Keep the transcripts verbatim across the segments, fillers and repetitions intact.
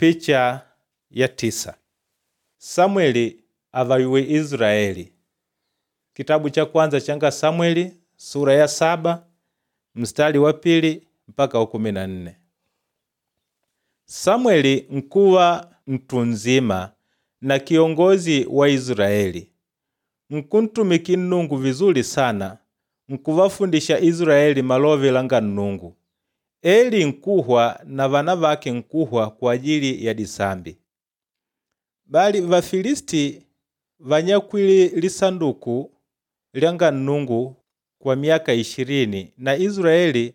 Picha ya tisa. Samweli avayuwe Israeli. Kitabu cha kwanza changa Samweli sura ya saba mstari wa pili mpaka wa kumi na nne. Samweli nkuwa mtu nzima na kiongozi wa Israeli. Nkuntumiki Nnungu vizuli sana, nkuvafundisha Israeli malove langa Nnungu. Eli nkuhwa na vana vake nkuhwa kwa ajili ya disambi. Bali Vafilisti vanyakwile lisanduku lyanga Nnungu kwa myaka ishirini na Israeli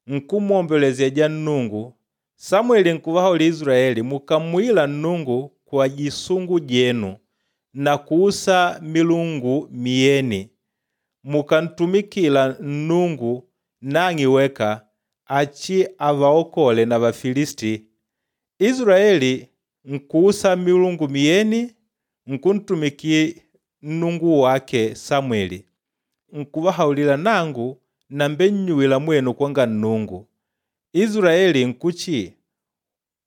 nkumwombolezeja Nnungu. Samweli nkuvahaulila Israeli, mukamwila Nnungu kwa jisungu jenu na kuusa milungu miyeni, mukantumikila Nnungu nang'e weka achi avaokole na Vafilisti. Israeli nkuusa milungu miyeni nkuntumiki Nnungu wake Samweli. Nkuvahaulila nangu nambennyuwila mwenu kwanga Nnungu. Israeli nkuchi,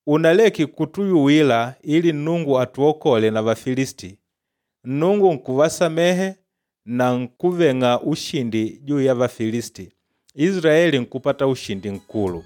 unaleke kutuyuwila ili Nnungu atuokole na Vafilisti. Nnungu nkuvasamehe na nkuveng'a ushindi juu ya Vafilisti. Israeli nkupata ushindi nkulu.